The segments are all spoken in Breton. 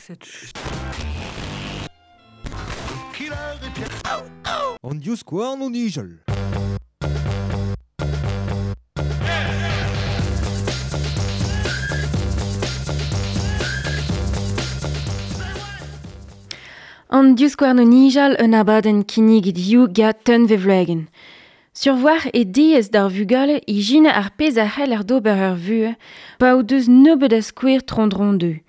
cette An divskouarn o nijal. An divskouarn o nijal un abadenn kinniget hiziv gant Tunvezh Wloagen. Survoar e diaes d'ar vugale ijinañ ar pezh a c'heller d'ober ur vuhez pa o deus nebeut a skouer tro-dro dezho.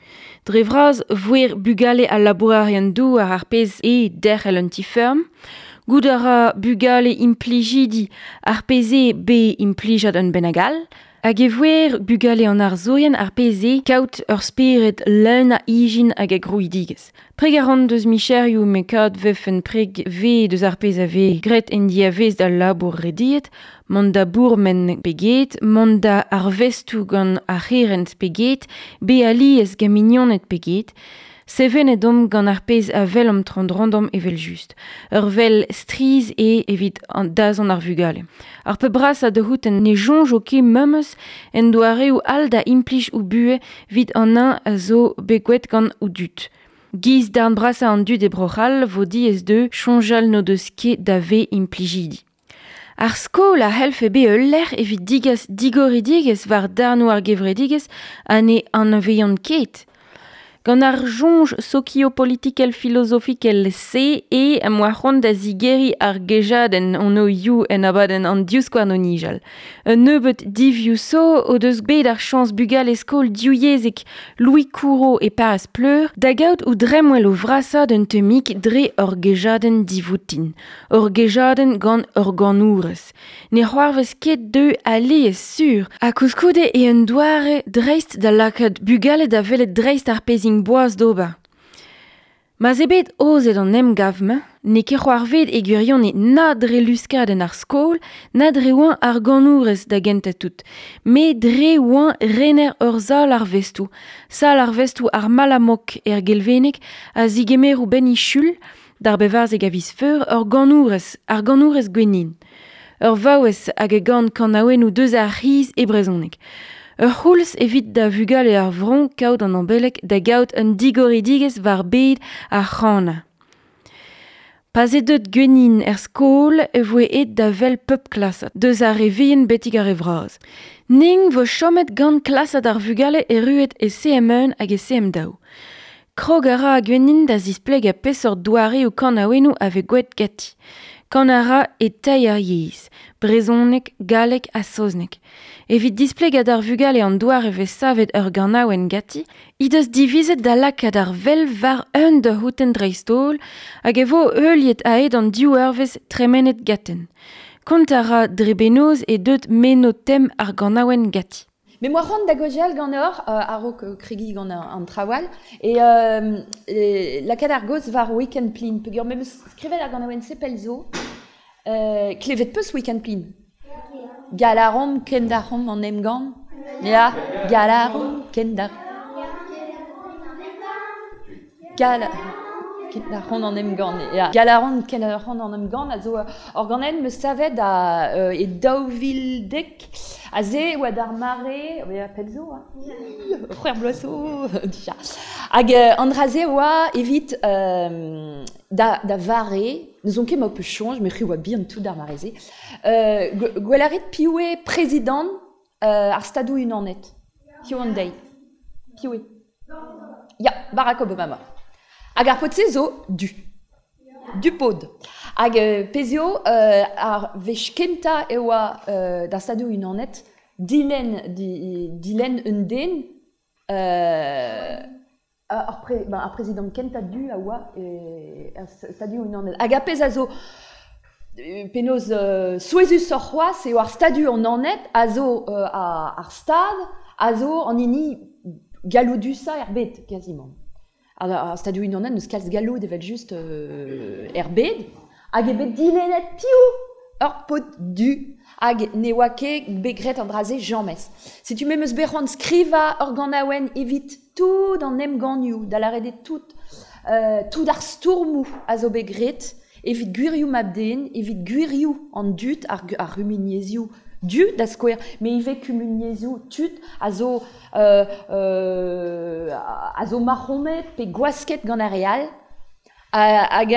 Dre vras voer bugale al labourerien douar ar pezh eo derc'hel un ti-feurm, goût a ra bugale implijidi ar pezh eo bet implijad un bennak all, hag e voer bugale an arzourien ar pezh eo kaout ur spered leun a ijin hag a grouidigezh. Preg a ran deus micherioù met kaout vefen preg ve deus ar pezh a vez graet en diavez d'al labour rediet, mont da bourmen pe get, mont da arvestoù gant ar c'herent pe get, be alies gant mignoned pe get, Sevenet omp gant ar pezh a welomp tro-dro evel-just. Ur wel strizh eo evit an dazont ar vugale. Ar pep brasañ da c'houtenn ne soñjo ket memes en doareoù all da implij o buhez evit an eñ a zo bet gwelet gant o dud. Giz darn brasañ an dud e Bro-C'hall vo diaes dezho soñjal n'o deus ket da vezañ implijidi. Ar skol a c'hellfe bezañ ul lec'h evit degas digoridigezh war darnoù ar gevredigezh ha ne anavezont ket. Gant ar soñj sokiopolitikel filozofikel se eo em boa c'hoant da zigeriñ ar gejadenn hon hiziv en abadenn an divskouarn o nijal. Un nebeud divioù zo o deus bet ar chañs bugale skol divyezhek Louis Couraud e Pariz Pleur da gaout o dremmwel o vrasañ d'un tammig dre ur gejadenn divoutin. Ur gejadenn gant ur ganourez. Ne c'hoarvez ket dezho alies sur ha koulskoude eo un doare dreist da lakaat bugale da welet dreist ar pezh int boas d'ober. Ma'z eo bet aozet an emgav-mañ, n'eo ket c'hoarvezet e gwirionez na dre luskadenn ar skol, na dre oañ ar ganourez da gentañ-tout, met dre oañ rener ur sal arvestoù, sal arvestoù ar Malamok er Gelveneg a zigemero benn Sul, d'ar bevarzek a viz Feur, ur ganourez, ar ganourez Gwennyn. Ur vaouez hag a gan kanaouennoù deus ar c'hiz e brezhoneg. Ur c'houlz evit da vugale ar vro kaout an ambeleg da gaout un digoridigezh war bed ar c'hanañ. Pa'z eo deuet Gwennyn er skol e voe aet da wel pep klasad, deus ar re vihan betek ar re vras. Ning vo chomet gant klasad ar vugale erruet e CM1 hag e CM2. Krog a ra Gwennyn da zisplegañ peseurt doareoù kanaouennoù a vez gwelet ganti. Kan a ra e teir yezh, brezhoneg, galleg ha saozneg. Evit displegañ d'ar vugale an doare vez savet ur ganaouenn ganti, he deus divizet da lakaat ar wel war un da dreist-holl hag e vo heuliet a-hed an div eurvezh tremenet ganten. Kont a ra dre benoz e deut meno tem ar ganaouenn ganti. Me moa c'hoant da gaozeal ganeoc'h a-raok kregiñ gant an traoù all e lakaat ar gaoz war Week-end Plin peogwir me 'meus skrivet ar ganaouenn-se pell zo. Klevet 'peus Week-end Plin? Galaromp kendarc'homp an emgann. Ya, galaromp kendarc'homp. Gal kendarc'homp an emgann, ya. Galaromp kendarc'homp an emgann a zo ur ganenn 'meus savet da e 2010 aze e oa d'ar mare, ya pell zo, hein, c'hwec'h bloaz zo dija. Hag an dra-se oa evit da, da vare, n'ouzon ket ma ho peus soñj, met c'hwi oa bihan tout d'ar mare-se, gwell a rit piv eo prezidant ar Stadoù-Unanet hiziv an deiz. Piv eo? Ya, Barack Obama. Hag ar paotr-se zo du. Du pod. Hag pezh eo ar wech kentañ e oa d'ar Stadoù-Unanet dilenn dilenn un den ar pre, ben, ar prezidant kentañ du a oa er Stadoù-Unanet. Hag ar pezh a zo penaos souezhusoc'h c'hoazh eo ar Stadoù-Unanet a zo ar stad a zo an hini galloudusañ er bed quasiment. Ar Stadoù-Unanet n'eus kalz galloud evel-just er bed hag eo bet dilennet piv ur paotr du hag ne oa ket bet graet an dra-se james. Setu me 'm eus bet c'hoant skrivañ ur ganaouenn evit tout an emgannioù, da lâret eo tout, tout ar stourmoù a zo bet graet evit gwirioù mab-den, evit gwirioù an dud, ar c'humuniezhioù Du da skouer, me ivez kumuniezhioù tud a zo a zo mac'homet pe gwasket gant ar re all hag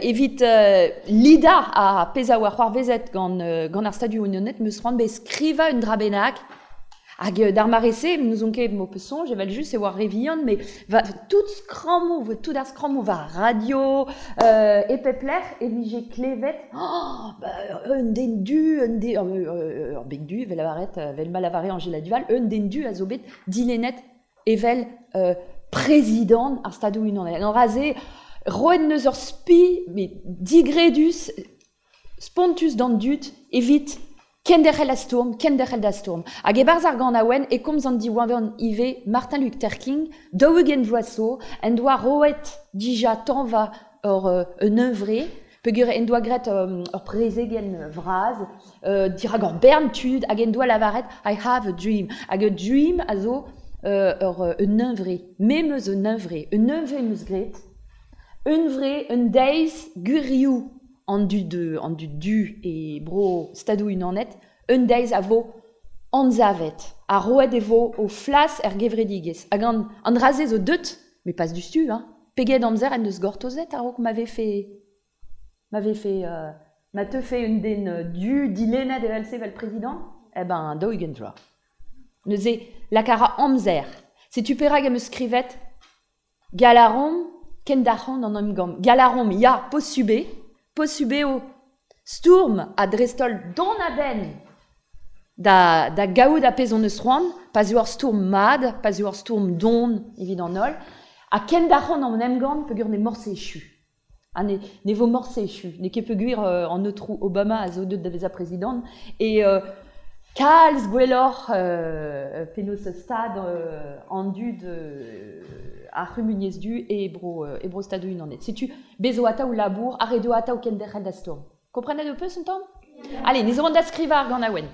evit lidañ ar pezh a oa c'hoarvezet gant ar Stadoù Unanet 'm eus c'hoant bet skrivañ un dra bennak. Hag d'ar mare-se, n'ouzon ket m'ho peus soñj, evel-just e oa re vihan, met va tout skrammoù, tout ar skrammoù war radio, e pep lec'h e vije klevet oh, bah, un den du, un den, ur beg du, evel lavaret, evel ma lavare Anjela Duval, un den du a zo bet dilennet evel prezidant ar Stadoù-Unanet. An dra-se, roet 'neus ur spi, met digredus, spontus d'an dud evit kenderc'hel da stourm, kenderc'hel da stourm. Hag e-barzh ar ganaouenn e komz an diwangan ivez Martin Luther King, 40 vloaz zo, en doa roet dija tañva ur un hunvre, peogwir en doa graet ur prezegenn vras dirak ur bern tud hag en doa lavaret I have a dream. Hag a dream a zo ur un hunvre. Me 'm eus un hunvre. Un hunvre 'm eus graet. Hunvre un deiz gwirioù an dud an dud du e bro Stadoù-Unanet, un deiz a vo anzavet ha roet e vo o flas er gevredigezh. Hag an dra-se zo deut, met pas diouzhtu, hein. Peget amzer en deus gortozet a-raok ma vefe ma vefe ma teufe un den du dilennet evel-se evel prezidant? Eh ben 40 vloaz. Neuze, lak a ra amzer. Setu perak em eus skrivet Galarom kendarc'hant an emgann. Galarom, ya, posubl eo, posubl eo stourm ha dreist-holl dont a-benn da, da gaout ar pezh hon eus c'hoant, pa 'z eo ur stourm mat, pa 'z eo ur stourm don evit an holl, ha kendarc'hant an emgann peogwir n'eo morse echu. Ha ne, ne vo morse echu. N'eo ket peogwir an aotrou Obama a zo deuet da vezañ prezidant e kalz gwelloc'h penaos stad an dud ar c'humuniezh du e bro, e bro Stadoù-Unanet. Setu, bez zo atav labour, ha ret eo atav kenderc'hel da stourm. Komprenet ho peus un tamm? Allez, ne zo da skrivañ ar ganaouenn.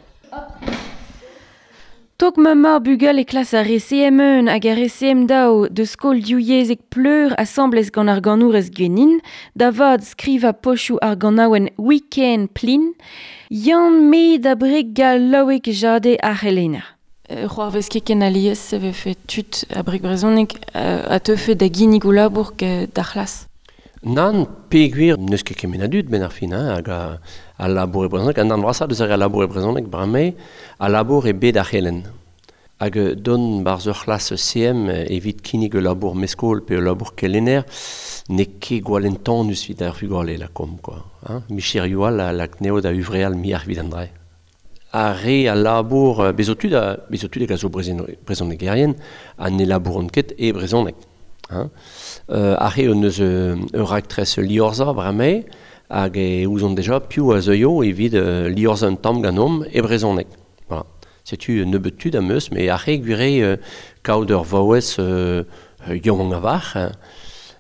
Tok ma mab bugale klas ar re CM1 hag ar re CM2 deus skol divyezhek Pleur asambles gant ar ganourez Gwenin, da vat skrivañ pochoù ar ganaouenn Week-end Plin, Yann me da breg gallaoueg jade ar c'helenner. C'hoarvez ket ken alies e vefe tud a breg brezhoneg a teufe da ginnig o labour d'ar c'hlas. Nann, peogwir n'eus ket kement a dud 'benn ar fin, hein, hag a labour e brezhoneg. An darn vrasañ deus ar re a labour e brezhoneg bremañ a labour e bed ar c'helenn. Hag dont 'barzh ur c'hlas CM evit kinnig ul labour meskol pe ul labour kelenner n'eo ket gwall entanus evit ar vugale lakaomp quoi, hein. Micherioù all a lak anezho da huñvreal muioc'h evit an dra. Ar re a labour, bez zo tud a, bez zo tud hag a zo brezhonegerien ha ne labouront ket e brezhoneg. Hein. Ar re hon eus ur raktres liorzhañ bremañ hag e ouzont deja piv a zeuio evit liorzhañ un tamm ganeomp e brezhoneg. Voilà. Setu un nebeud tud am eus, met ar re gwir eo kaout ur vaouez yaouank a-walc'h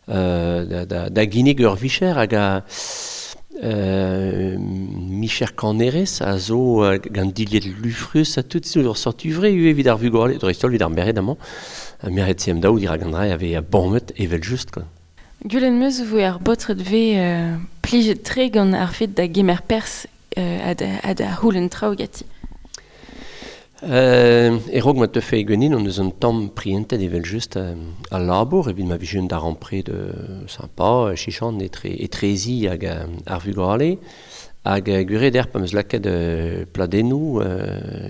da ginnig ur vicher hag a micher kanerez a zo gant dilhad lufrus ha tout zo ur seurt huñvre ivez evit ar vugale, dreist-holl evit ar merc'hed amañ. Merc'hed CM2 dirak an dra a vez bamet evel-just quoi. Gwelet 'm eus 'voe ar baotred 'vez plijet-tre gant ar fed da gemer perzh ha da c'houlenn traoù ganti. E-raok ma teufe ganin hon eus un tamm prientet evel-just al labour evit ma vije un darempred sympa, chichant etre etrezi hag ar vugale. Hag gwir eo dec'h pa 'm eus lakaet pladennoù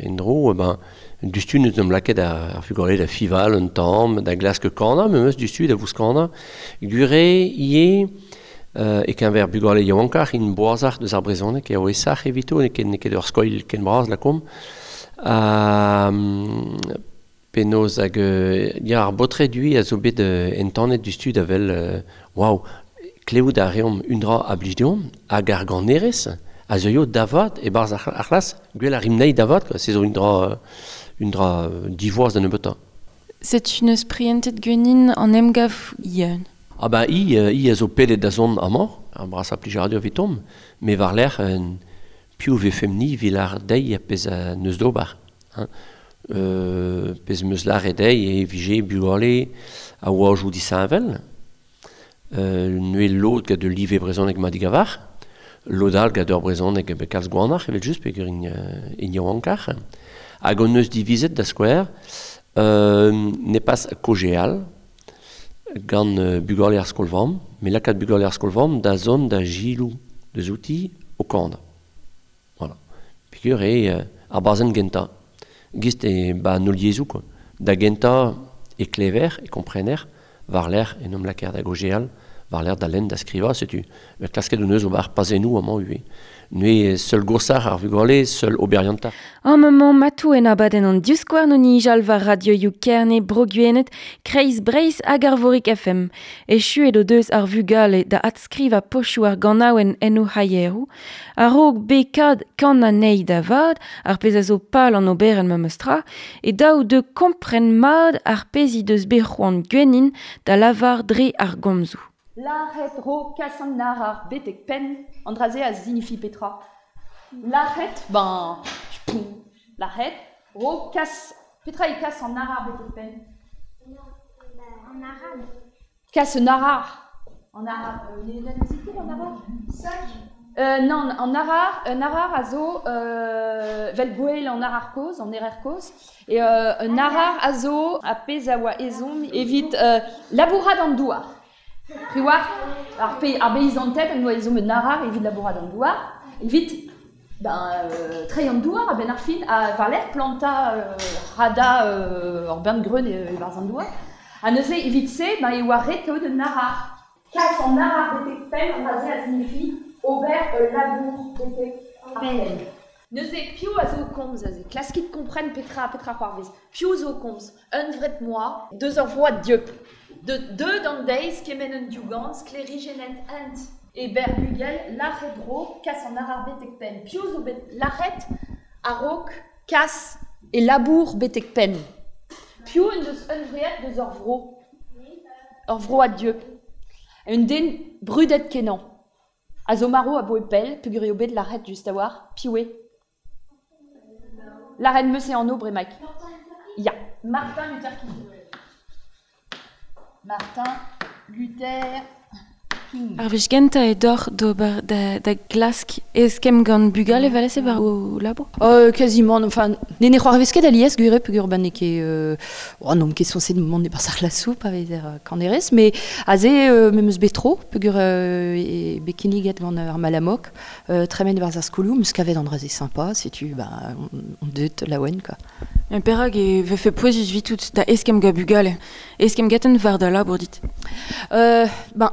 en-dro, ben diouzhtu 'neus 'm lakaet ar vugale da fival un tamm, da glask kanañ memes diouzhtu da vouskanañ. Gwir eo ivez e-keñver bugale yaouankoc'h int boazoc'h deus ar brezhoneg eo aesoc'h evito, n'eo ket n'eo ket ur skoilh ken bras lakaomp. Penaos hag ya ar baotred ivez a zo bet entanet diouzhtu da wel waou, klevout a reomp un dra a blij deomp hag ar ganerez a zeuio da vat e-barzh ar c'hlas, gwell a rimp anezhi da vat quoi, se zo un dra divoas da nebeutañ. Setu n'eus prientet ganin an emgav Yeun. Ah ben hi a zo pedet da zont amañ, ar brasañ plijadur evitomp, met war-lerc'h piv 'vefemp-ni evit lâret dezhi ar pezh a neus d'ober. Hein. Pezh 'm eus lâret dezhi e vije bugale a oajoù disheñvel, neuze lod gant ul live brezhoneg mat a-walc'h, Lodal gant ur brezhoneg be kalz gwanac'h evel just peogwir int yaouankar. Hag hon eus divizet da skouer ne pas kojeal gant bugale ar skol-vamm, met lakaat bugale ar skol-vamm da zont da gilou deus outi o kanañ. Voilà. Peogwir eo ar bazenn gentañ. Gist e ba an holl yezhoù quoi. Da gentañ e klever, e komprener, war-lerc'h en em lakaer da gaozeal, war-lerc'h da lenn, da skrivañ, setu. Met klasket hon eus ober pazennoù amañ ivez. Neuze seul gosac'h ar vugale, seul oberiantac'h. Amañ matou en abadenn an divskouarn o nijal war radioioù Kerne, Bro-Gwened, Kreiz Breizh hag Arvorig FM. Echuet o deus ar vugale da adskrivañ pochoù ar ganaouenn en o c'haieroù. A-raok bet kan anezhi da vat, ar pezh a zo pal an oberenn memes tra, e daou deu kompren mat ar pezh he deus bet c'hoant Gwennin da lavar dre ar gomzoù. Lâret ro kas an arar betek penn, an dra-se a zinifi petra. Lâret, ben, lâret, ro kas, petra eo kas an arar betek penn? En arabe. Kas un arar. An arar, ne anavezit ket an arar? Nann, an arar, un arar a zo vel gwell an arar kozh, an erer kozh. E un arar a zo ar pezh a oa ezhomm evit labourat an douar. Triwac'h, ar, pe, ar beizanted en doa ezhomm un arar evit labourat an douar, evit ben, treiñ an douar a-benn ar fin, ha war-lerc'h plantañ hadañ ur bern greun e-barzh an douar. Ha neuze, evit se, ben, e oa ret kaout un arar. Kas an arar betek penn, an dra-se a signifi ober ul labour betek ar penn. Neuze, piv a zo o komz aze? Klaskit kompren petra petra c'hoarvez. Piv zo o komz? Unvret moa, deus ur vroad dieub. De deuet an deiz kement un diougan, sklêrijennet hent e berr-bugel, lâret ro, kas an arar betek penn. Piv zo bet lâret a-raok kas e labour betek penn? Piv en deus hunvreet deus ur vro? Ur vroad dieub. Un den brudet-kenañ. A zo marv aboe pell, peogwir eo bet lâret just a-walc'h. Piv eo? Lâret 'm eus e anv bremaik. Ya, Martin Luther King. Martin Luther King. Ar wech gentañ eo deoc'h d'ober da glask eskemm gant bugale evel-se war ho labour? Quasiment, enfin, ne ne c'hoarvez ket alies gwir eo peogwir ben n'eo ket oh, n'omp ket sañset mont e-barzh ar c'hlasoù pa vezer kanerez, mais aze me 'm eus bet tro peogwir eo bet kinniget gant ar Malamok tremen e-barzh ar skolioù, 'm eus kavet an dra-se sympa, setu ben on deuet laouen quoi. Mais perak e vefe pouezus 'vitout da eskemm gant bugale? Eskemm ganten war da labour dit? Ben,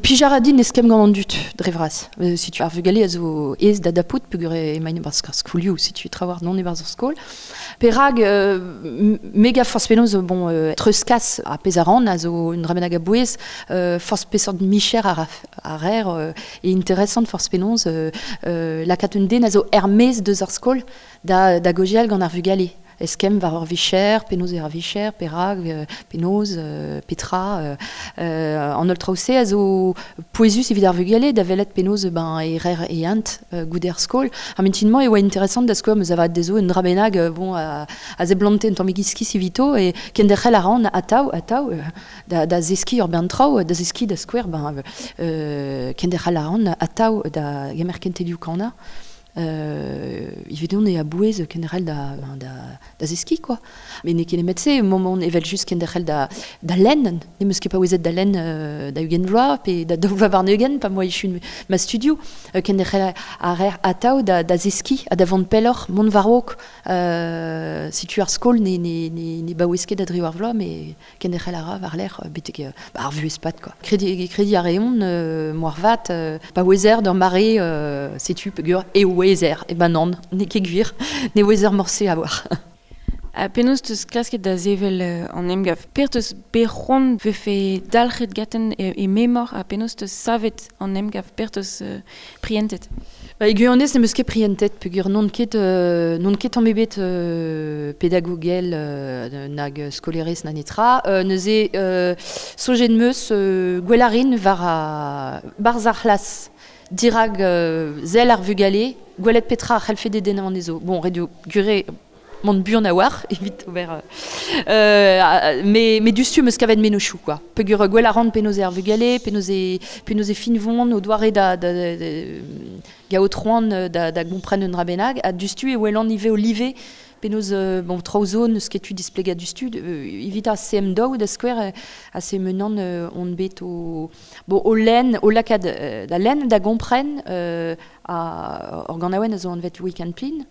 Pij a ra din eskemm gant an dud, dre vras. Setu ar vugale a zo aes da dapout peogwir emaint e-barzh ar skolioù, setu trawalc'h dont e-barzh ar skol. Perak me gav forzh penaos bon treuzkas ar pezh a ran a zo un dra bennak a-bouez, forzh peseurt micher a a rer e interesant forzh penaos lakaat un den a zo er-maez deus ar skol da da gaozeal gant ar vugale. Eskemm war ur vicher, penaos eo ar vicher, perak, penaos, petra. An holl traoù-se a zo pouezus evit ar vugale da welet penaos ben, e rer e hent goude ar skol. Ar mintin-mañ e oa interesant da skouer 'm eus avat dezho un dra bennak bon, a seblante un tammig iskis evito e kenderc'hel a ran atav, atav da, da zeskiñ ur bern traoù, da zeskiñ da skouer ben, kenderc'hel a ran atav da gemer kentelioù kanañ. Evidon eo a-bouez kenderc'hel da, da, da zeskiñ quoi. Met n'eo ket nemet-se, moment evel-just kenderc'hel da, da lenn. N'em eus ket paouezet da lenn da 20 vloaz pe da daou vloaz warn-ugent pa 'm boa echu ma studioù. Kenderc'hel a reer atav da, da zeskiñ ha da vont pelloc'h, mont war-raok. Setu ar skol ne, ne, ne, ne baouez ket da driwec'h vloaz, met Kenderc'hel a ra war-lerc'h betek ar vuhez-pad quoi. Krediñ krediñ a reont moarvat pa ouezer d'ur mare setu peogwir e ouezer. Eh ben nann, n'eo ket gwir, ne ouezer morse a-walc'h. Ha penaos 'teus klasket da sevel an emgav? Per 'teus bet c'hoant 'vefe dalc'het ganten e memor ha penaos 'teus savet an emgav? Per 'teus prientet? Ba, e gwirionez n'em eus ket prientet peogwir n'on ket n'on ket tamm ebet pedagogel nag skolerez na netra. Neuze soñjet 'm eus gwell a rin war ar barzh ar c'hlas dirak sell ar vugale, gwelet petra a c'hellfe dedennañ anezho. Bon, ret eo gwir eo mont buan a war, evit ober... me dustu meus kavet menochou, quoi. Pegur gwell a ran penaos ar vugale, penaos e finvon, o doare da gaout roan da gompren un dra bennak, ha dustu e welan ive o live, penaos, bon, traoù zo neus ket tu displega dustu, evit a CM2 da skouer, a CM1 on bet o, bon, o len, o lakad da len da gompren a organaouen a zo anvet weekend plin.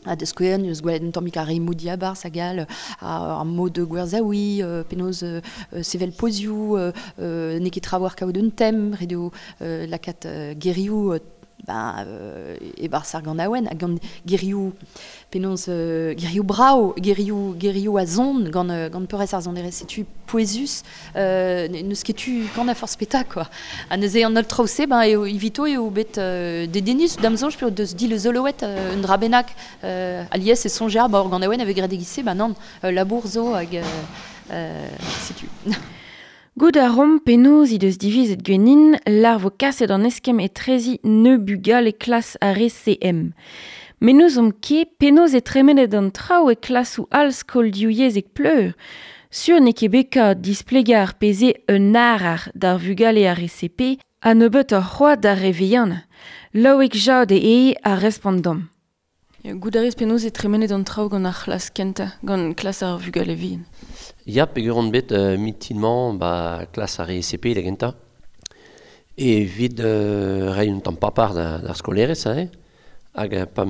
A da skouer, neus gwelet un tammig a remoù diabarzh hag all, ar mod gwerzaoui, penaos sevel pozioù, n'eo ket trawar kaout un tem, ret eo lakaat gerioù e-barzh ar ganaouenn, hag gant gerioù, penaos gerioù brav, gerioù a zon gant peurrest ar sonerezh, setu pouezus, n'eus ket tu gant a forzh peta, quoi. Ha neuze an holl traoù-se, ben, eo evito eo bet dedennus, da'm soñj pe deus dileuzoloet un dra bennak, alies e soñjer, ba ur ganaouenn a vez graet e-giz-se, ben nann, labour zo hag setu. Gout a rom penaos he deus divizet gwenin lar vo kaset an eskemm etrezi ne bugale klas ar re CM. Met n'ouzomp ket penaos e tremenet an traoù e klasoù all skol divyezhek Pleur. Sur n'eo ket bet kat displegañ ar pezh un arar d'ar vugale ar re CP ha nebeut ur c'hoad d'ar re vihan. Loïc Jade eo a respont domp. Gout a rez penaos e tremenet an traoù gant ar c'hlas kentañ, gant klas ar vugale vihan. Ya, peogwir on bet mitinmañ ba klas ar re CP da gentañ. Evit reiñ un tamm papar d'ar skolerez, hein. Hag pa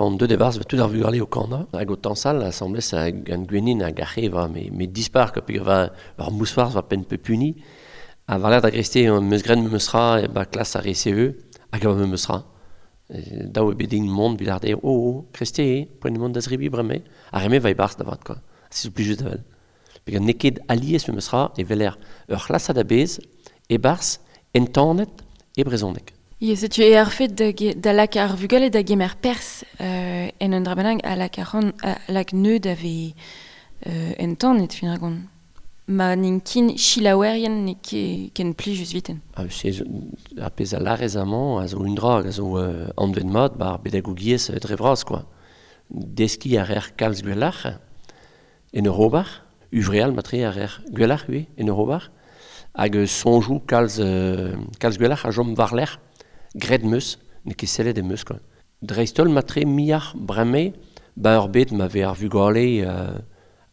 on deuet e-barzh tout ar vugale o kanañ. Hag o tañsal asambles gant Gwenin hag ar c'he va me dispar, peogwir va ur mousc'hoarzh va penn pep hini. Ha war-lerc'h da greste meus graet memes tra ba klas ar re CE hag a memes tra. Daou eo bet din mont evit ar dezho, oh, kreste eo, poent mont da zrebi bremañ. Ar re-me va e-barzh da vat, quoi. Se zo plijus da wel. Peogwir n'eo ket alies memes tra e weler ur c'hlasad a-bezh e-barzh entanet e brezhoneg. Ya, setu e ar fet da lak ar vugale da gemer perzh en un dra bennak a lak ar c'hant, a lak neud a vez entanet fin ar gont. Ma n'int kin chilaouerien n'eo ket ken plijus viten. Ah, se ar pezh a larez amañ a zo un dra, a zo anvet mat bar pedagogiezh dre vras, quoi. Deskiñ a reer kalz gwelloc'h en ur ober, uvreal matre a reer gwelloc'h ivez en ur ober, hag soñjoù kalz gwelloc'h a chom war-lerc'h, graet meus, n'eo ket sellet e meus, quoi. Dreist-holl matre miar bremañ ba ur bet ma vez ar vugale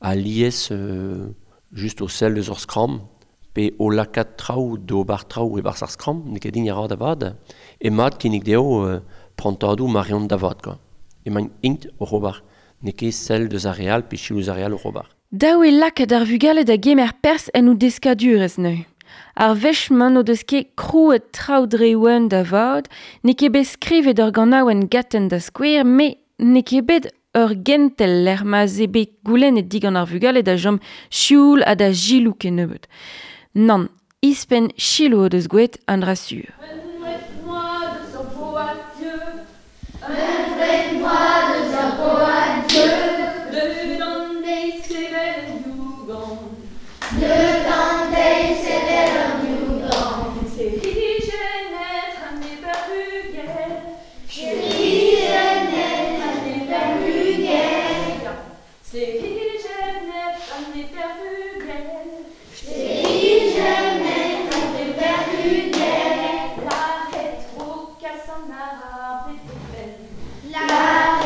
alies just o sell eus ur skramm, pe o lakaat traoù d'ober traoù e-barzh ar skramm, n'eo ket din a ra da vat, e mat kinnig dezho prantadoù ma reont da vat, quoi. Emaint int oc'h ober, n'eo ket sell deus ar re all pe selaou eus ar re all oc'h ober. Daou e lakaat ar vugale da gemer perzh en o deskadurezh neuze. Ar wech-mañ n'o deus ket krouet traoù dre oan da vat, n'eo ket bet skrivet ur ganaouenn gaten da skouer, met n'eo ket bet ur gentel lec'h ma 'z eo bet goulennet digant ar vugale da chom sioul ha da giloù kennebeut. Nann, ispenn chiloù o deus gwelet an dra sur. La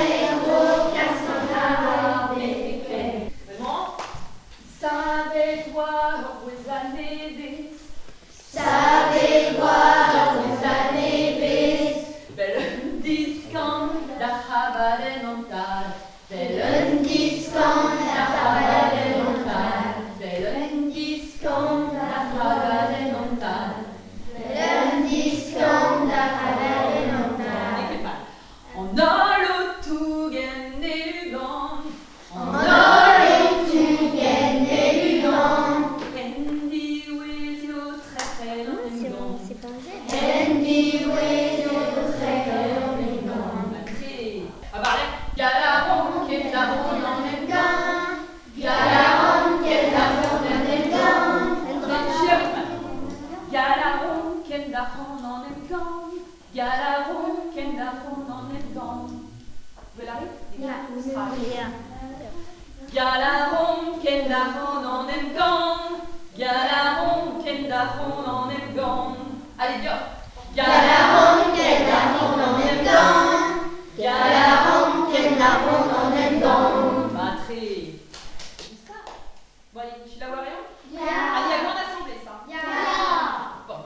Galaron ken da ran an emgann. Galaron ken da ran an emgann. Allez, dioc'h. Galaron ken da ran an emgann. Galaron ken da ran an emgann. Matre. Bon, allez, tu la vois rien? Ya. Allez, à grande assemblée, ça. Ya. Bon.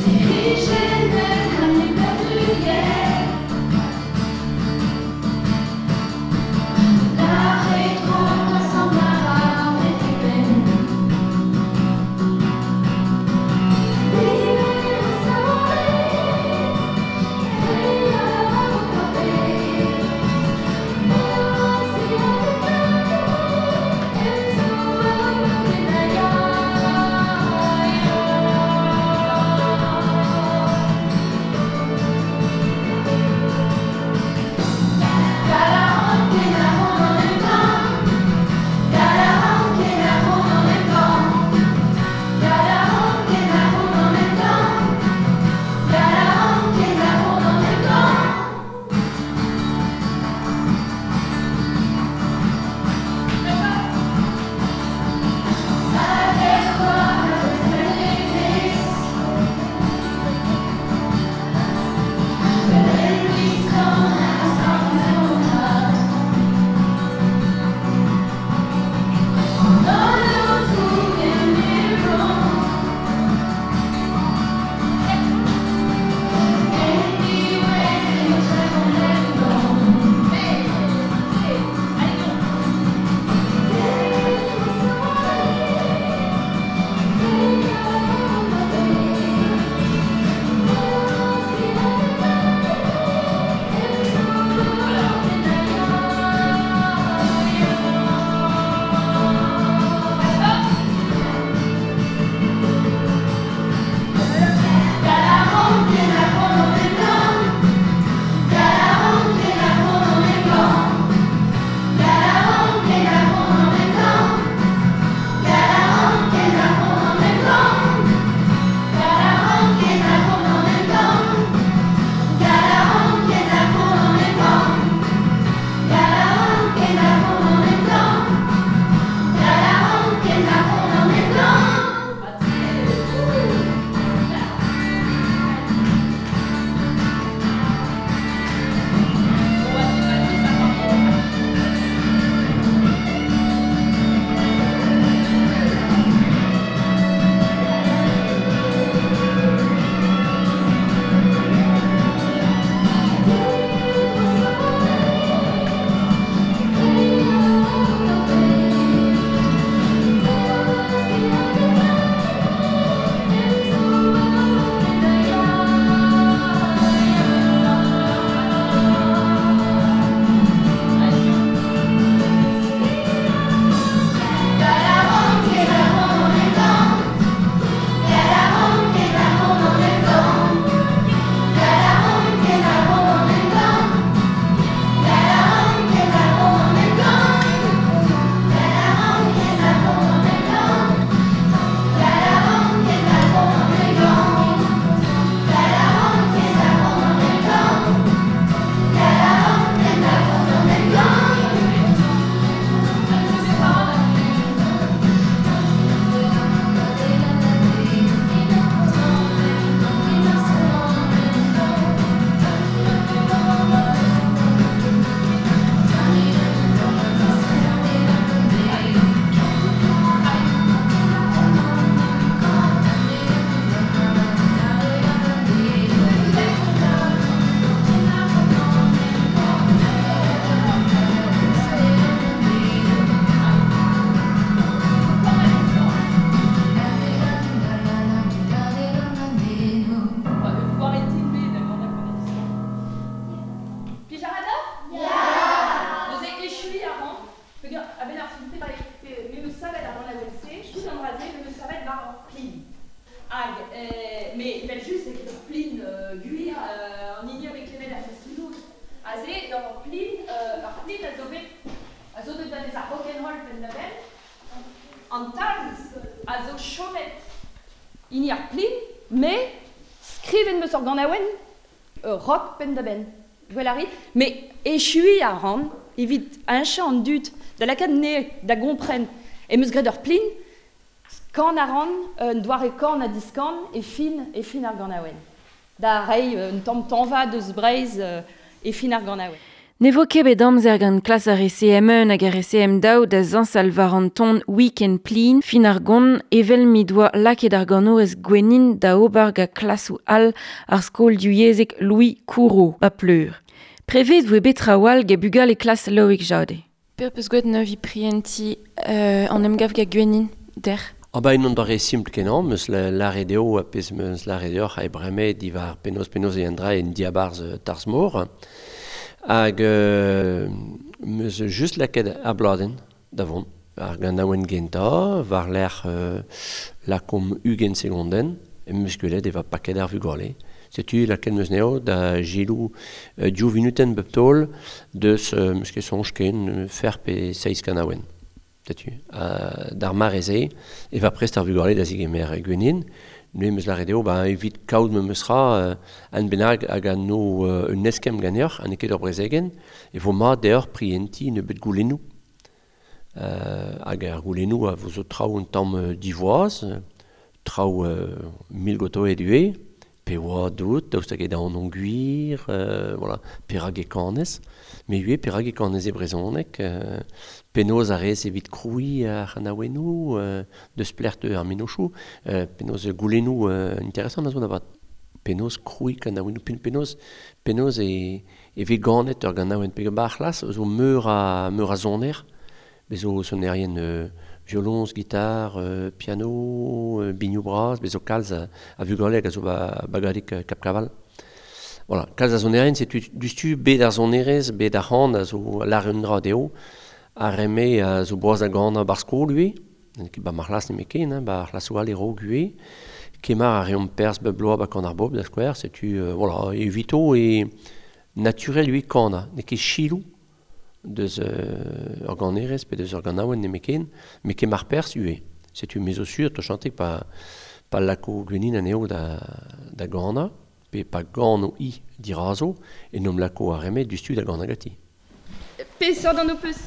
C'est rigide comme les gant ur plin, ur plin a zo bet, a zo deut da vez ar rock'n'roll penn-da-benn. An talz a zo chomet hini ar plin, me skrivet meus ur ganaouenn rock penn-da-benn. Gwell a rit, me echui a ran evit heñchañ an dud da lakaat ne da gompren. E meus graet ur plin, kan a ran, un doare kan ha diskan e fin ar ganaouenn. Da reiñ un tamm tañva deus Breizh e fin ar ganaouenn. Ne vo ket bet amzer gant klas ar CM1 hag ar CM2 da zañsal war an ton week-end plin fin ar gont evel mi doa lakaet ar ganourez Gwenin da ober gant klasoù all ar skol divyezhek Louis Courreau, ba Pleur. Prevet voe bet trawal gant bugale klas Loïc Jade. Per peus gwet neuvi prienti an emgav gant Gwenin, der? Ah ba en doare simpl kenañ, meus lâret eo a pezh meus lâret deoc'h e bremañ diwar penaos e an dra en diabarzh tarzh-mor. Hag meus just lakaet ar bladenn da vont. Ar ganaouenn gentañ, war-lerc'h lakomp 20 segondenn, meus gwelet e va paket ar vugale. Setu lakaet meus neo da gelou div vinutenn bep taol deus meus ket soñj ken fer pe seizh kanaouenn. Setu, d'ar mare-se e va prest ar vugale da zigemer Gwenin. Neuze meus lâret eo, ba evit kaout me meus ra an bennak hag an no un eskemm ganeoc'h, ha n'eo ket ur brezegenn, e vo mat deoc'h prientiñ nebeut goulennoù. Hag ar goulennoù a vo zo traoù un tamm divoaz, traoù mil goto e due, pe oa dout, daoust hag eo da an gwir, voilà, perak e kanez, me ivez perak e kanez e brezhoneg, penaos a rez evit krouiñ ar c'hanaouennoù, deus plec'h ar mennozhioù, penaos goulennoù interesant a zo da vat. Penaos krouiñ kanaouennoù, penaos e vez ganet ur ganaouenn pe ba ar c'hlas, zo meur a soner, bez zo sonerien violoñs, gitar, piano, binioù bras, bez zo kalz a vugale hag a zo bagadig Cap Caval. Voilà, kalz a sonerien, setu dustu bet ar sonerez, bet ar c'han a zo lâret un dra dezho, ar re-me a zo boaz da ganañ bar skol ivez, ba ma c'hlas nemet ken, hein, ba ar c'hlasoù all e raok ivez, kemar a reomp perzh bep bloaz ba kan ar bobl da skouer, setu voilà, evito e naturel ivez kanañ, n'eo ket chiloù deus ur ganerez pe deus ur ganaouenn nemet ken, met kemar perzh ivez. Setu me zo sur, to chantek pa lako Gwenin anezho da ganañ, pe pa gano i dirazo, e nom lako ar re-me dustu da ganañ ganti. Peseurt an ho peus?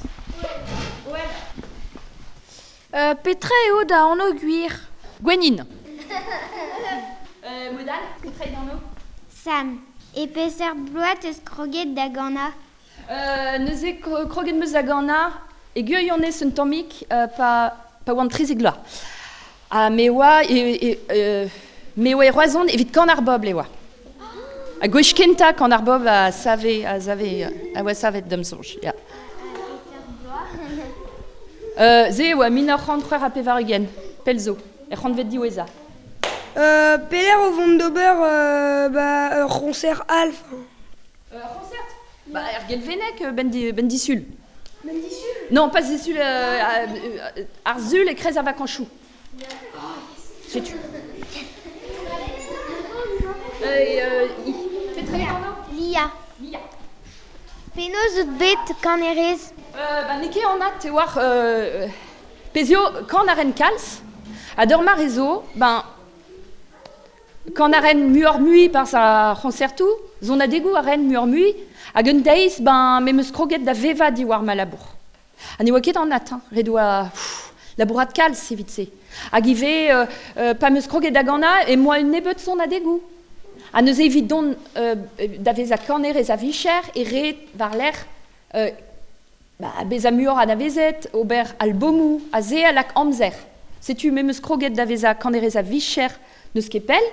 Ouais. Petra eo da anv gwir? Gwenin. Modal, petra eo da anv? Sam. E peseurt bloaz teus kroget da ganañ? Neuze kroget meus da ganañ e gwirionez un tammig pa oan 13 vloaz. Ha me oa e Roazhon evit kan ar bobl e oa. Ha gwech kentañ kan ar bobl a save a oa savet da'm soñj, ya. Se e oa 1986, pell zo, er c'hantved diwezhañ. Pelec'h o vont d'ober ur c'hoñser all. Ur c'hoñsert? Ba er Gelveneg ben disul. Ben disul? Non, pas disul, ar sul e kreiz ar vakañsoù. Setu. Petra eo anv? Lia. Lia. Penaos out bet kanerez? Ba n'eo ket anat e oar pezh eo kan a ren kalz, ha d'ur mare zo, ben kan a ren muioc'h-mui par ar c'honsertoù, sonadegoù a ren muioc'h-mui, hag un deiz, ben, me meus kroget da vevañ diwar ma labour. Ha ne oa ket anat, hein, ret oa labourat kalz evit se. Hag ivez, pa meus kroget da ganañ, e moa un nebeud sonadegoù. Ha neuze evit dont da vezañ kanerez a vicher e ret war-lerc'h bezañ muioc'h anavezet, ober albomoù, ha se a lak amzer. Setu me meus kroget da vezañ kanerez a vicher n'eus ket pell,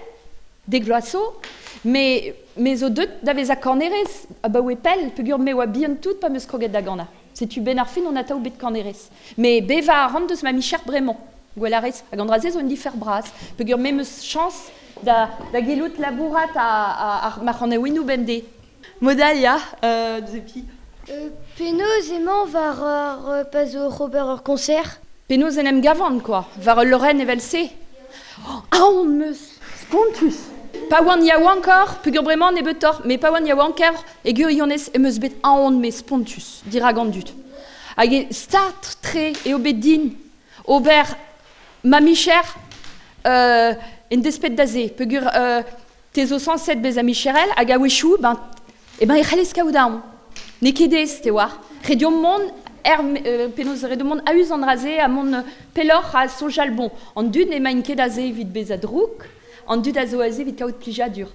dek vloaz zo, me zo deut da vezañ kanerez abaoe pell, peogwir me oa bihan tout pa meus kroget da ganañ. Setu ben ar fin on atav bet kanerez. Me bevañ a ran deus ma micher bremañ, gwell a rez, hag an dra-se zo un difer bras, peogwir me meus chañs da gellout labourat ar ma c'hanaouennoù bemdez. Modal, ya, deus Penaos emañ war ar pa zo oc'h ober ur koñser? Penaos en em gavan, quoi, war ul leurenn evel-se. Oh, aon meus, spontus. Pa oan yaouankor, peogwir bremañ nebeutoc'h, met pa oan yaouanker e gwirionez em eus bet aon me spontus dirak an dud. Hag e start-tre eo bet din ober ma micher en despet da se, peogwir te zo sañset bezañ micherel hag a-wechoù, ben, e ben e c'hellez kaout aon. N'eo ket aes, te oar. Ret deomp mont er, penaos ret deomp mont a-us an dra-se ha mont pelloc'h ha soñjal bon. An dud n'emaint ket aze evit bezañ drouk, an dud a zo aze evit kaout plijadur.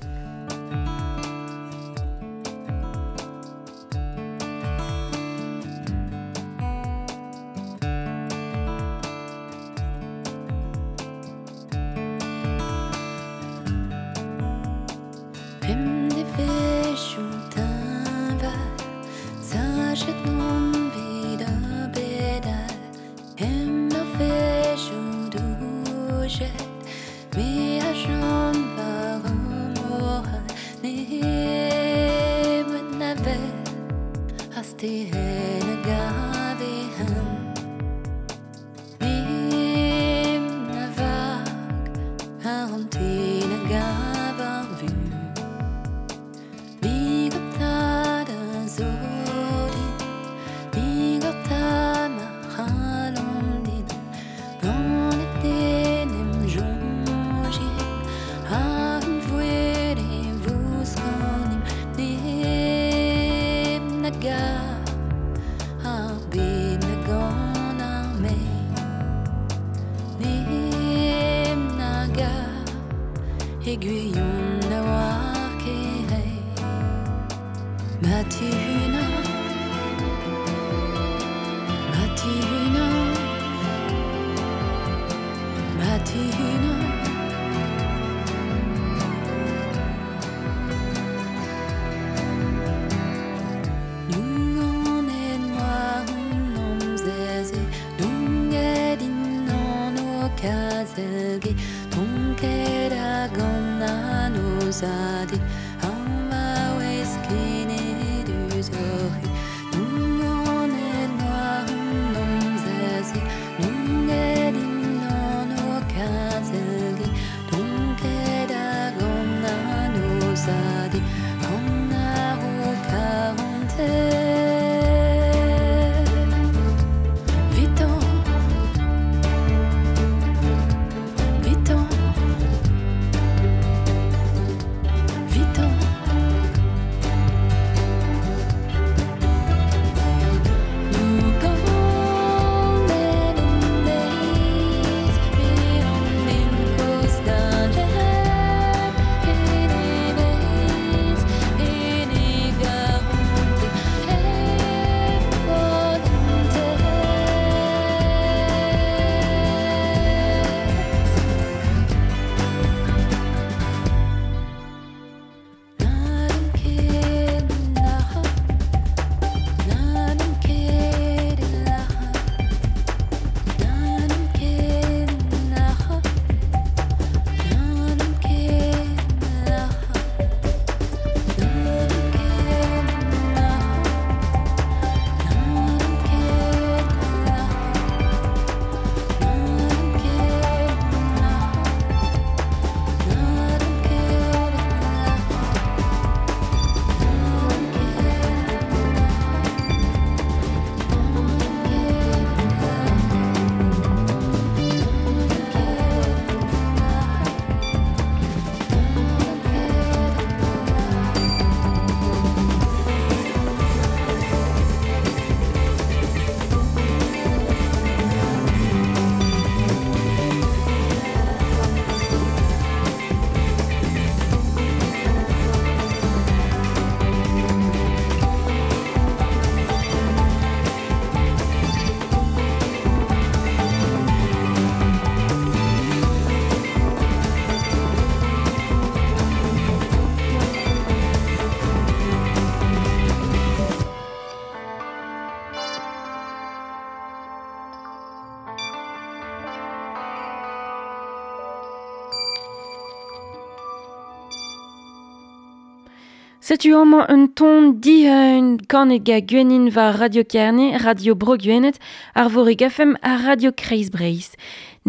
Setu amañ un ton dihun kanet ga Gwenin war Radio Kerne, Radio Bro Gwened, Arvorig FM ha Radio Kreiz Breizh.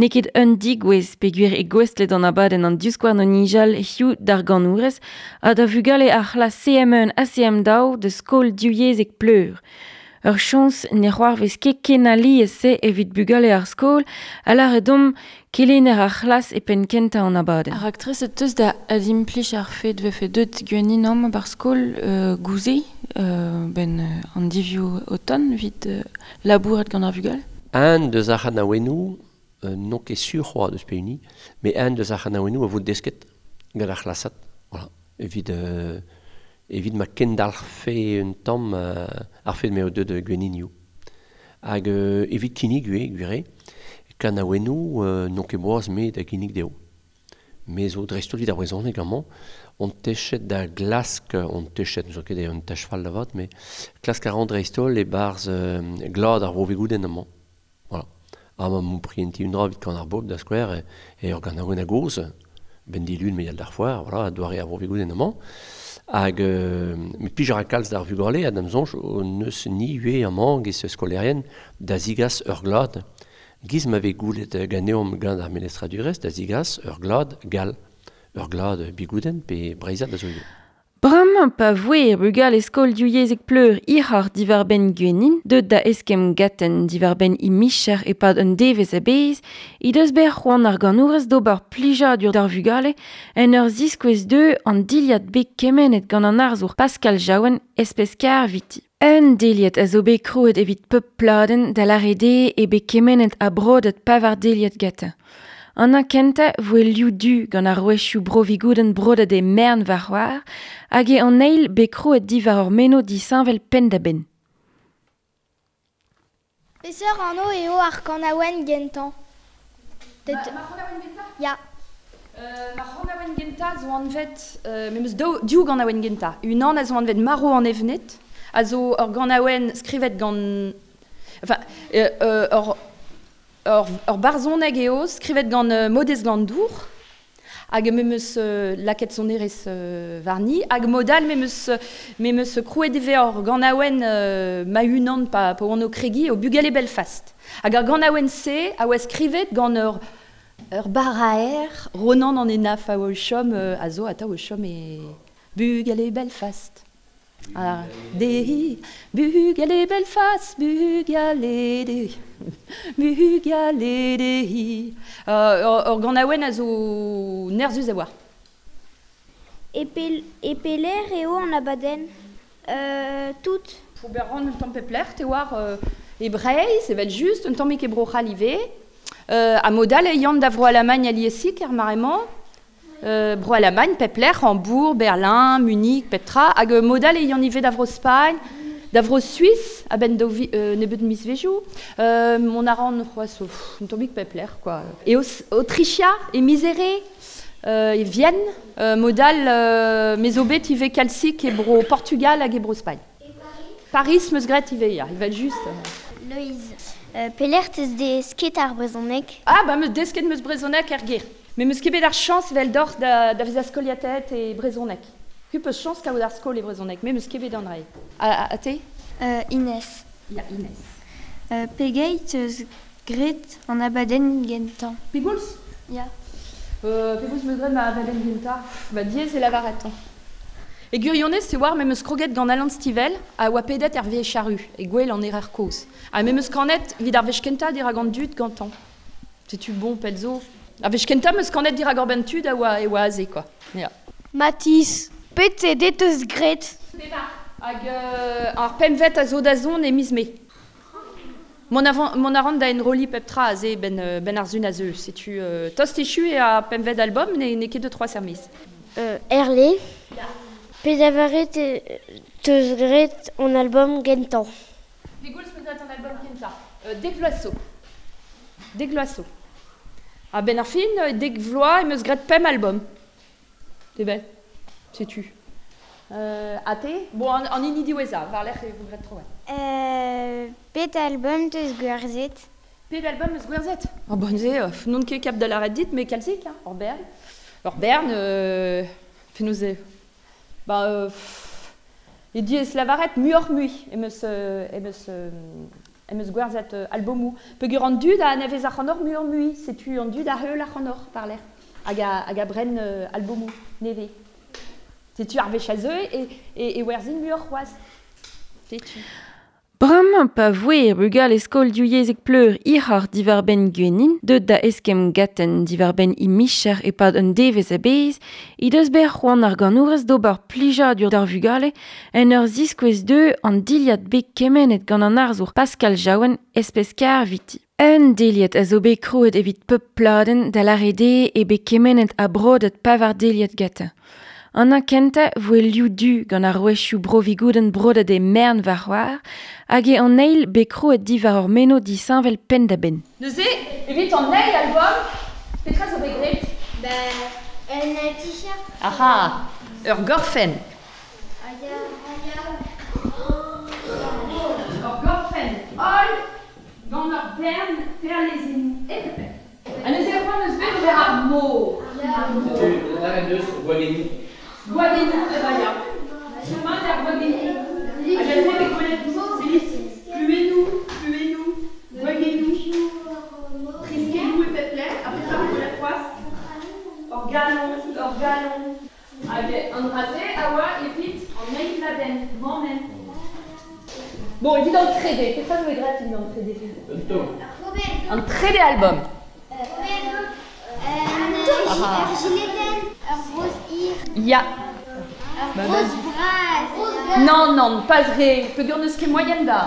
N'eo ket un digouez peogwir e gouestlet an abadenn an divskouarn o nijal hiziv d'ar ganourez ha da vugale ar c'hlas CM1 ha CM2 da skol divyezhek Pleur. Ur chañs ne c'hoarvez ket ken alies-se evit bugale ar skol a lâre deomp kelenner ar c'hlas e penn kentañ an abadenn. Ar raktres teus da adimplij ar fed vefe deut gwenin amañ bar skol gouze ben an divioù oton evit labourat gant ar vugale? Un deus ar c'hanaouennoù, n'on ket sur c'hoazh deus pehini, met un deus ar c'hanaouennoù a vo desket gant ar c'hlasad. Voilà. Evit evit ma kendalc'hfe un tamm ar fed m'eo deuet gwenninioù. Hag evit kinnig ivez, gwir eo, kanaouennoù n'on ket boaz me da ginnig dezho. Me zo dreist-holl evit ar brezhoneg amañ, on techet da glask, on techet, n'eus ket un tech fall da vat, met klask a ran dreist-holl e-barzh glad ar Vro-Vigoudenn amañ. Voilà. Ha ma m'o prientiñ un dra evit kan ar bobl da skouer, e ur ganaouenn a-gozh, ben dilun me yal d'ar foar, voilà, doare ar Vro-Vigoudenn amañ. Hag met pij a ra kalz d'ar vugale ha d'am soñj n'eus ni ivez amañ giz skolaerien da zigas ur glad. Giz ma vez goulet ganeomp gant ar melestradurezh da zigas ur glad gall, ur glad bigoudenn pe breizhat da zo ivez. Bremañ pa voe bugale skol divyezhek Pleur hiroc'h diwar-benn Gwennin, deut da eskemm gaten diwar-benn he micher e-pad un devezh a-bezh, he deus bet c'hoant ar ganourez d'ober plijadur d'ar vugale en ur ziskouez dezho an dilhad bet kemennet gant an arzour Pascal Jaouen espeskar eviti. Un deliad a zo bet krouet evit pep pladenn da lâret eo eo bet kemennet ha brodet pevar deliad gantañ. An kentañ voe liv du gant arouezioù Bro-Vigoudenn brodet e mern war c'hoar hag eo an eil bet krouet diwar ur meno disheñvel penn-da-benn. Peseurt anv eo ar kanaouenn gentañ? Ma c'hanaouenn gentañ? Ya. Ma c'hanaouenn gentañ zo anvet... me 'm eus div ganaouenn gentañ. Unan a zo anvet Marv an evned, a zo ur ganaouenn skrivet gant... Enfin, ur barzhoneg eo skrivet gant Maodez Glanndour hag me 'm eus lakaet sonerezh warni hag mod all me 'm eus krouet ivez ur ganaouenn ma-unan pa oan o kregiñ o Bugale Belfast. Hag ar ganaouenn-se a oa skrivet gant ur baraer Ronan an Henaff a oa o chom a zo atav o chom e Bugale Belfast. Ah, dehi, bugale Belfast, bugale dehi, bugale dehi. Ur ganaouenn a zo nerzhus a oa. E pelec'h eo an abadenn? Tout. Ober ran un tamm pep lec'h, te oar e Breizh, evel-just, un tammig e Bro-C'hall ivez. Ha mod all e yan da Vro-Alamagn aliesik er mare-mañ. Bro-Alamagn, pep lec'h, Hambourg, Berlin, Munich, pep tra. Hag mod all e yan ivez da Vro-Spagn, da Vro-Suis, a-benn daou nebeut mizvezhioù. Mont a ran c'hoazh un tammig pep lec'h, quoi. E Aotrichia, e Misere, e Vienne. Mod all, me zo bet ivez kalzik e Bro-Portugal hag e Bro-Spagn. Paris 'm eus graet ivez, ya, evel-just. Loeiz, pelec'h 'teus desket ar brezhoneg? Ah, ba, 'm eus desket 'm eus brezhoneg er gêr. Me 'm eus ket bet ar chañs eveldoc'h da vezañ skoliataet e brezhoneg. C'hwi 'peus chañs kaout ar skol e brezhoneg, me 'm eus ket bet an dra-se. Ha te? Inès. Ya, Inès. Pegeit 'teus graet an abadenn gentañ? Pegoulz? Ya. Pegoulz 'm eus graet ma abadenn gentañ? Ba diaes eo lavaret. E gwirionez, te oar, me 'm eus kroget gant Alan Stivell a oa pedet er Vieille Charrue, e gwel an Erer Kozh. Ha me 'm eus kanet evit ar wech kentañ dirak an dud gantañ. Setu bon, pell zo. Ar wech kentañ 'm eus kanet dirak ur benn tud a oa e oa aze, quoi. Ya. Mathis, pet CD 'teus graet? Pevar. Hag ar pempvet a zo da zont e miz Mae. Mont a ran da enrolliñ pep tra aze ben ar sun a zeu. Setu tost echu eo ar pempvet album, n'eo ket deux trois services. Herlé. Ya. Pedavaret 'teus graet an album gentañ? Pegoulz 'meus graet an album gentañ? Dek vloaz zo. Dek vloaz zo. A-benn ar fin, dek vloaz em eus graet pemp album. Te bel, setu. Ha te? Bon, an hini diwezhañ, war-lerc'h e vo graet tro. Pet album 'teus gwerzhet? Pet album 'meus gwerzhet? Oh bon, se, n'on ket kap da lâret dit, met kalzik, hein, ur bern. Ur bern, penaos eo. Ba, e diaes lavaret muioc'h-mui em eus Em eus gwerzhet albomou. Peogwir an dud a anavez ac'hanoc'h muioc'h-mui, setu an dud a heul ac'hanoc'h par-lec'h hag a bren albomou nevez. Setu ar wech a zeu e werzhin muioc'h c'hoazh. Setu. Bremañ pa voe bugale skol divyezhek Pleur hiroc'h diwar-benn Gwenin, deuet da eskemm gaten diwar-benn he micher e-pad un devezh a-bezh, he deus bet c'hoant ar ganourez d'ober plijadur d'ar vugale en ur ziskouez dezhe an dilhad bet kemennet gant an arzour Pascal Jaouen espeskar viti. Un deliad a zo bet krouet evit pep pladenn da lâret eo eo bet kemennet ha brodet pevar deliad gantañ. An kentañ voe liv du gant ar rouezioù bro-Vigoudenn brodet e mern war c'hoar hag eo an eil bet krouet diwar ur meno disheñvel penn-da-benn. Neuze, evit an eil album, petra zo bet graet? Ben, un t-shirt. Aha, ur gorfenn. Ur gorfenn holl gant ur bern perlezennoù hep. Ha neuze c'hoant eus bet ober ar mor. Ar mor. Gwagennoù. Gwagennoù, eh ya. Sûrement ar gwagennoù. Hag a zo bet gwelet pluennoù, pluennoù, gwagennoù, triskelloù e pep lec'h, ha petra bet gwelet c'hoazh? Ur galon, ur galon. Hag an dra-se a oa evit an eil pladenn, mammenn. Bon, evit an trede, petra zo bet graet evit an trede? Un taol. An trede album. Ur giletenn, ur broz hir. Ya. Ur broz bras. Non, non, pas re. Peogwir n'eus ket moaien da.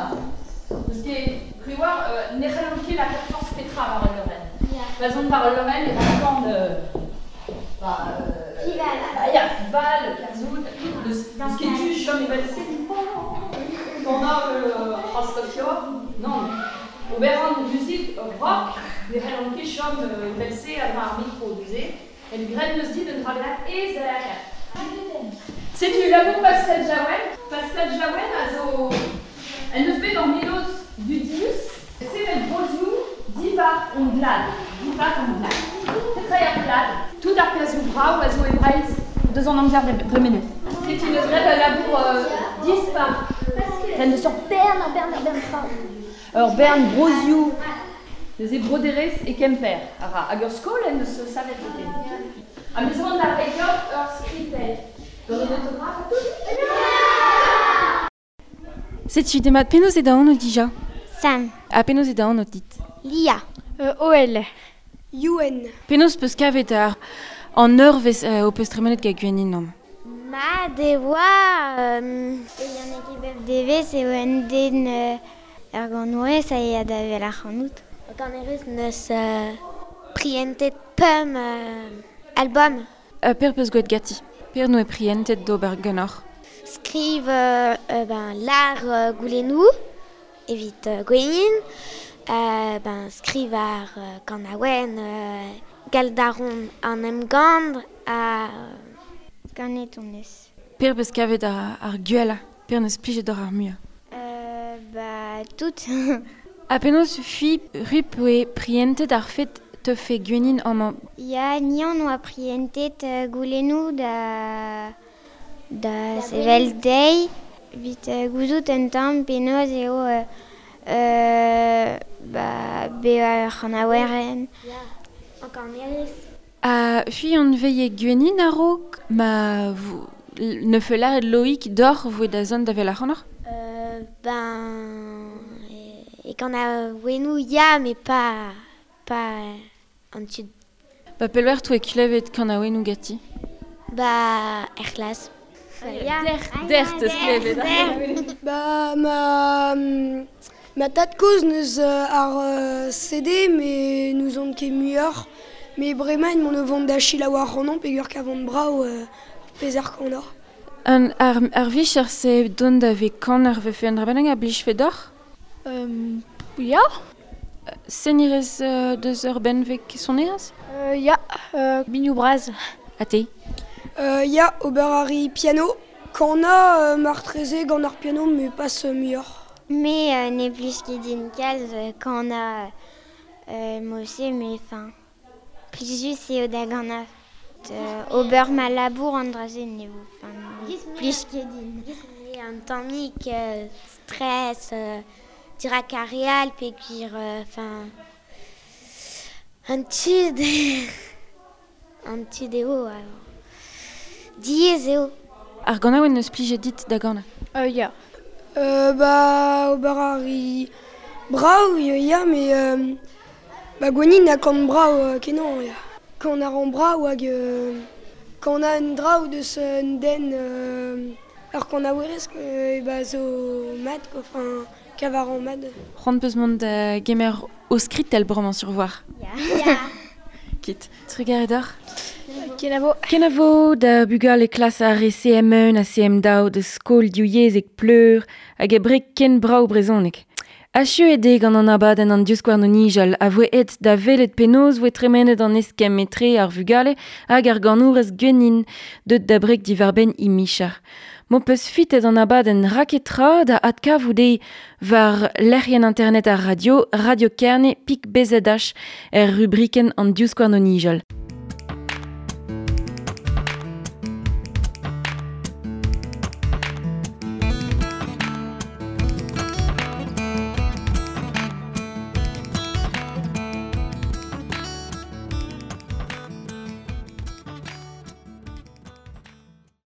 N'eus ket... Riwar, ne c'hellont ket lakaat forzh petra war ul leurenn. Pa zont war ul leurenn e rankan... Fival. Ya, fival, kerzhout, n'eus ket tu chom evel-se. Gant Rastofio, non. Ober an muzik rock, ne c'hellont ket chom evel-se a-dra ar mikro, neuze. En graet neus dit un dra bennak aes da lakaat. Setu labour Pascal Jaouen. Pascal Jaouen a zo en deus bet ur mennozh dudius, sevel brozioù diwar hon glad. Diwar hon glad. Petra eo ar glad? Tout ar perzhioù brav a zo e Breizh deus an amzer dremenet. Setu neus graet ul labour dispar. En deus ur bern, ur bern, ur bern traoù. Ur bern brozioù. Neuze broderezh e Kemper a ra. Hag ur skol en deus savet zoken. Ha me zo da reiñ deoc'h ur skritell. Gant an autographe ha tout. Setu demat penaos eo da anv dija? Sam. Ha penaos eo da anv dit? Lia. OL. Youenn. Penaos peus kavet ar an eurvezh ho peus tremenet gant Gwenin amañ? Mat e oa e yann bep devezh eo un den ur ganourez a ya da wel ac'hanout. Kanerez neus prientet pemp album. Per peus gwelet ganti? Per noe prientet d'ober ganeoc'h? Skriv ben, lar goulennoù evit Gwenin, ben, skriv ar kanaouenn Galdaron an emgann ha ganet on eus. Per peus kavet ar gwellañ? Per neus plijet d'or ar muiañ? Ba, tout. Ha penaos fi rup oe prientet ar fet teufe Gwenin amañ? Ya, ni on oa prientet goulennoù da sevel dezhi evit gouzout un tamm penaos eo ba bezañ ur c'hanaouerenn. Kanerez. Ha fi on veie Gwenin a-raok ma ne fe lâret Loïc d'oc'h voe da zont da wel ac'hanoc'h? Ben... E kanaouennoù ya, mais pas an tud. Ba pelver toe klevet kanaouennoù ganti? Ba er c'hlas. Der teus klevet. Ba ma tad-kozh neus ar CD, mais n'ouzon ket muioc'h. Mais bremañ mon o vont da selaou ac'hanon peogwir kavont brav pezh ar kanoc'h. Ar vicher se dont da vez kaner vefe un dra bennak a blijfe deoc'h? Ya. Senirez deus ur benveg sonerezh? Ya, binioù bras. Ha te? Ya, ober a ri piano. Kanañ martreze gant ar piano, mais pas muioc'h. Me ne blij ket din kalz kanañ mod-se, mais enfin, plijus eo da ganañ. Ober ma labour an dra-se ne vo, enfin, plij ket din. Un tammig stress, Dirak ar real peogwir enfin an tud an tud eo alors. Diaes eo. Ar ganaouenn neus plijet dit da ganañ? Ya. Ba ober a ri brav ya met ba Gwennin a kan brav kenañ ya. Kan a ran brav hag kan un dra deus un den ur kanaouerez e ba zo mat quoi, enfin kavaran mat. C'hoant peus mont da gemer o skritell bremañ sur voir. Ya. Kit. Trugarez deoc'h. Kenavo. Kenavo da bugale klas ar re CM1 ha CM2 de skol diouyezek pleur hag e brek ken brav brezhoneg. Achu eo eo gant an abadenn an divskouarn o nijal a voe aet da welet penaos voe tremenet an eskemm etre ar vugale hag ar ganourez Gwennin deut da brek diwar-benn he micher. M'ho peus fitet an abadenn raketra da adkavout eo war lec'hienn internet ar radio, Radio Kerne pik BZH er rubrikenn an divskouarn o nijal.